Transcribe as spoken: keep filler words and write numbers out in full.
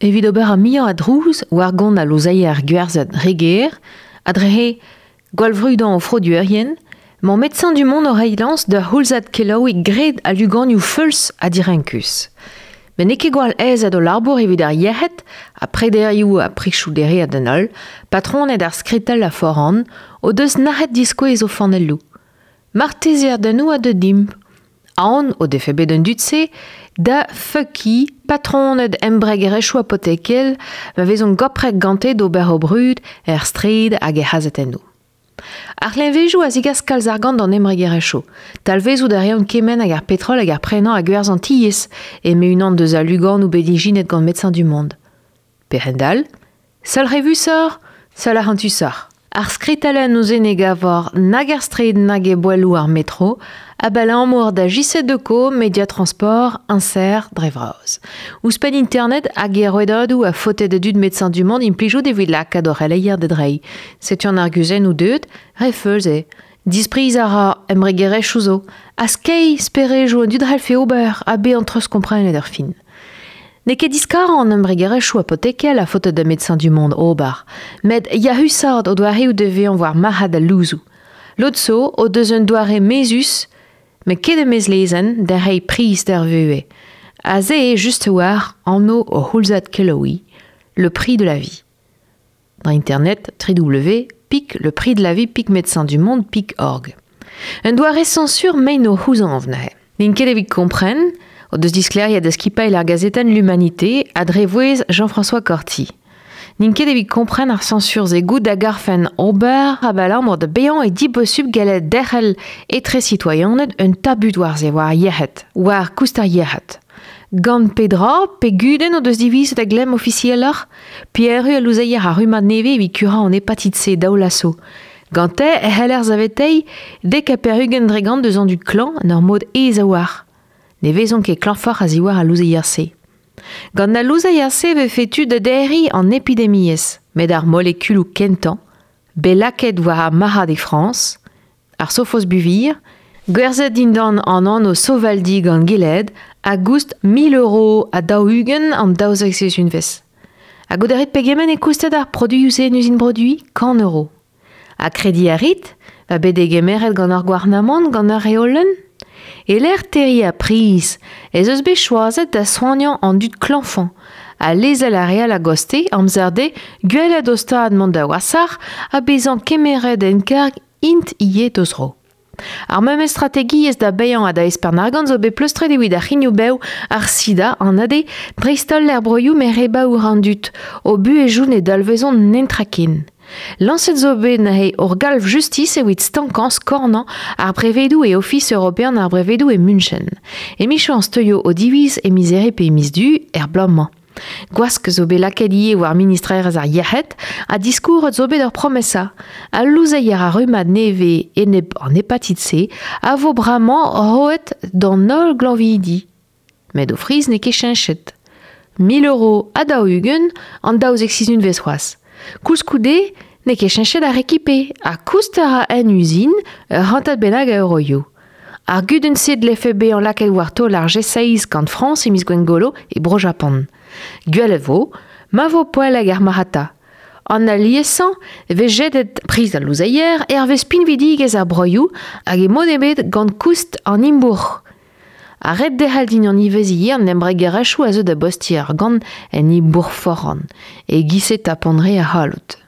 Evit ober ar muiañ a drouz war gont al louzeier gwerzhet reger, a dre gwallvrudañ o froduerien, mañ Médecins du Monde o reiñ lañs d'ur c'houlzad kelaouiñ graet a luganioù feuls ha direnkus. Met n'eo ket gwall aezet o labour evit ar yec'hed, ha prederioù ha prichoù dereat d'an holl, patroned ar skritell a foran, o deus nac'het diskouez o fanelloù. Martezeadennoù a deu dimp. Aon o defe bet an dud-se da feukiñ patroned embregerezhioù apotekel ma vezont goprek gante d'ober o brud er straed hag er c'hazetennoù. Ar c'hleñvezoù a zigas kalz argant d'an embregerezhioù. Talvezout a reont kement hag ar petrol hag ar prenañ hag gwerzh an tiez, eme unan deus al luganoù bet ijinet gant Médecins du Monde. Perc'hendall, seul revusoc'h, seul arc'hantusoc'h. Ar skritellenn ouzh ne gavor nag ar straed nag e boelloù ar metro, abalamour da J C deux Co, Media Transport, Insert, dre vras. Ouzhpenn internet hag e rouedadoù a faote da dud Médecins du Monde implijout evit lakaat o c'heleier da dreiñ. Setu an arguzennoù deuet, re feuls eo. Dispriz a ra embregerezhioù zo, ha skeiñ sperejoù an dud c'hallfe ober ha bezañ treuzkomprenet ar fin. N'eo ket diskarañ an embregerezhioù apotekel a faote da Médecins du Monde ober, met yac'husaat o doareoù da vezañ war marc'had al louzoù. Lod zo o deus un doare mezus, met ket e-maez lezenn da reiñ priz d'ar vuhez. Aze eo just war anv o c'houlzad kelaouiñ, le prix de la vie. Dans internet, www pic le prix de la vie pic médecins du monde pic org. Un doare censure mein o c'houzañv neuze. N'int ket evit kompren, o deus disklêriet da skipailh ar gazetenn L'Humanité a dre vouezh Jean-François Corti. N'int ket evit kompren ar censure-se goût da garfen ober abalamour da bezañ e dibosubl gallet derc'hel etre sitoaianed un tabut war se war yec'hed, war koust ar yec'hed. Gant pedra pe gudenn o deus divizet da glemm ofisieloc'h, Pierre a louzeier ar rummad nevez evit kurañ an hepatite C daou laso. Gante e c'heller saveteiñ dek ha pevar-ugent dre gant deus an dud klañv en ur mod aes a-walc'h. Ne vezont ket klañvoc'h a-ziwar al louzeier-se. Gant al louzeier-se vefe tu da derriñ an epidemiezh, met ar molekuloù kentañ, bet lakaet war ar marc'had e Frañs, ar sofosbuvir, gwerzhet dindan an anv Sovaldi gant Gilead a goust mil euro ha daou-ugent an daouzek sizhunvezh. Hag o derit pegement e koustet ar produioù-se en uzin produiñ kant euro. Ha krediñ a rit, va bet degemeret gant ar gouarnamant gant ar reolenn? E lec'h terriñ ar priz, ez eus bet choazet da soagnañ an dud klañfañ, ha lezel ar re all a-goste amzer dezhe gwelet o stad mont da wasac'h ha bezañ kemeret en karg int ivez d'o zro. Ar memes strategiezh da baeañ ha da espern argant zo bet pleustret evit ar c'hrignoù-bev, ar sida, an A D, dreist-holl er broioù met re baour an dud, o buhezioù ne dalvezont netra ken. Lañset zo bet neuze ur galv justis evit stankañ skornañ ar brevedoù e Ofis european ar brevedoù e München. Emichañs teuio o diviz e miz Here pe e miz Du er bloaz-mañ. Gwask zo bet lakaet ivez war ministrerezh ar yec'hed ha diskouret zo bet ur promesa. Al louzeier ar rummad nevez enep an hepatite C a vo bremañ roet d'an holl glañvidi. Met o friz n'eo ket cheñchet. mil euro ha daou-ugent an daouzek sizhunvezh c'hoazh. Koulskoude n'eo ket cheñchet ar rekipe ha koust a ra en uzin ur c'hantad bennak a euroioù. Ar gudenn-se dlefe bezañ lakaet war taol ar G seizh gant Frañs e miz Gwengolo e Bro-Japan. Gwelet vo, ma vo poell hag ar marc'hata. An aliesañ e vez jedet priz al louzeier hervez pinvidigezh ar broioù hag e mod ebet gant koust an imbourc'h. Ar ret derc'hel din an ivez ivez an embregerezhioù a zeu da bostiñ argant en imbourc'h foran, e giz-se tapont re a c'halloud.